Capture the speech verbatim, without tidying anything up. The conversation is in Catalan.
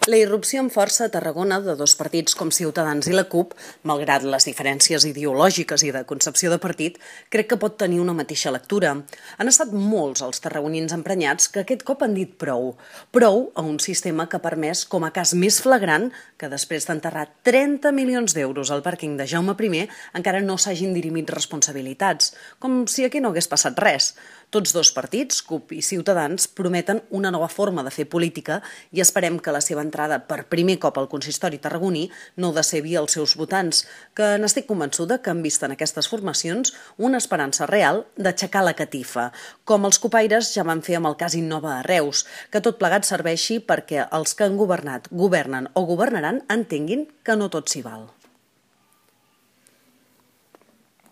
La irrupció amb força a Tarragona de dos partits com Ciutadans i la CUP, malgrat les diferències ideològiques i de concepció de partit, crec que pot tenir una mateixa lectura. Han estat molts els tarragonins emprenyats que aquest cop han dit prou. Prou a un sistema que ha permès, com a cas més flagrant, que després d'enterrar trenta milions d'euros al pàrquing de Jaume primer encara no s'hagin dirimit responsabilitats, com si aquí no hagués passat res. Tots dos partits, CUP i Ciutadans, prometen una nova forma de fer política i esperem que la seva entrada per primer cop al consistori tarragoní no decebui els seus votants, que n'estic convençuda que han vist en aquestes formacions una esperança real d'aixecar la catifa, com els copaires ja van fer amb el cas Innova a Reus, que tot plegat serveixi perquè els que han governat, governen o governaran entenguin que no tot s'hi val.